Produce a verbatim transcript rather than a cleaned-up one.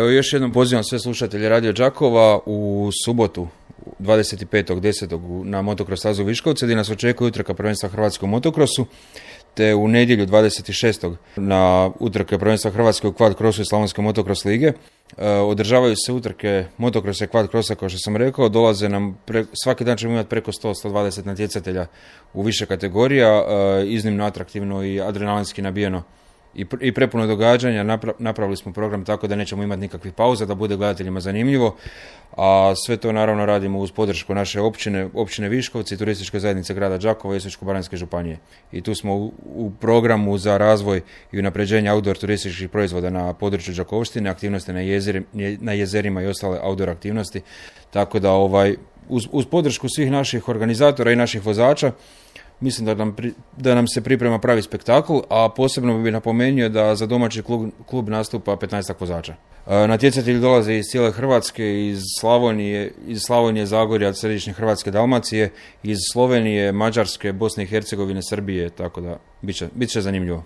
Evo još jednom pozivam sve slušatelje Radio Đakova u subotu dvadeset petog desetog na motocross stazu Viškovce gdje nas očekuje utrka prvenstva Hrvatske u motocrossu, te u nedjelju dvadeset šestog na utrke prvenstva Hrvatske u quad crossu i Slavonske motocross lige. E, održavaju se utrke motocrossa i quad crossa, kao što sam rekao, dolaze nam, pre, svaki dan ćemo imati preko sto do sto dvadeset natjecatelja u više kategorija, e, iznimno atraktivno i adrenalinski nabijeno i, i prepuno događanja. Napra, napravili smo program tako da nećemo imati nikakvih pauza, da bude gledateljima zanimljivo, a sve to naravno radimo uz podršku naše općine, općine Viškovci, turističke zajednice grada Đakova i Osječko-baranjske županije. I tu smo u, u programu za razvoj i unapređenje outdoor turističkih proizvoda na području Đakovštine, aktivnosti na, jezeri, na jezerima i ostale outdoor aktivnosti, tako da ovaj, uz, uz podršku svih naših organizatora i naših vozača mislim da nam, pri, da nam se priprema pravi spektakl, a posebno bih napomenuo da za domaći klub, klub nastupa petnaestak vozača. E, natjecatelji dolaze iz cijele Hrvatske, iz Slavonije, iz Slavonije, Zagorja, središnje Hrvatske, Dalmacije, iz Slovenije, Mađarske, Bosne i Hercegovine, Srbije, tako da bit će, bit će zanimljivo.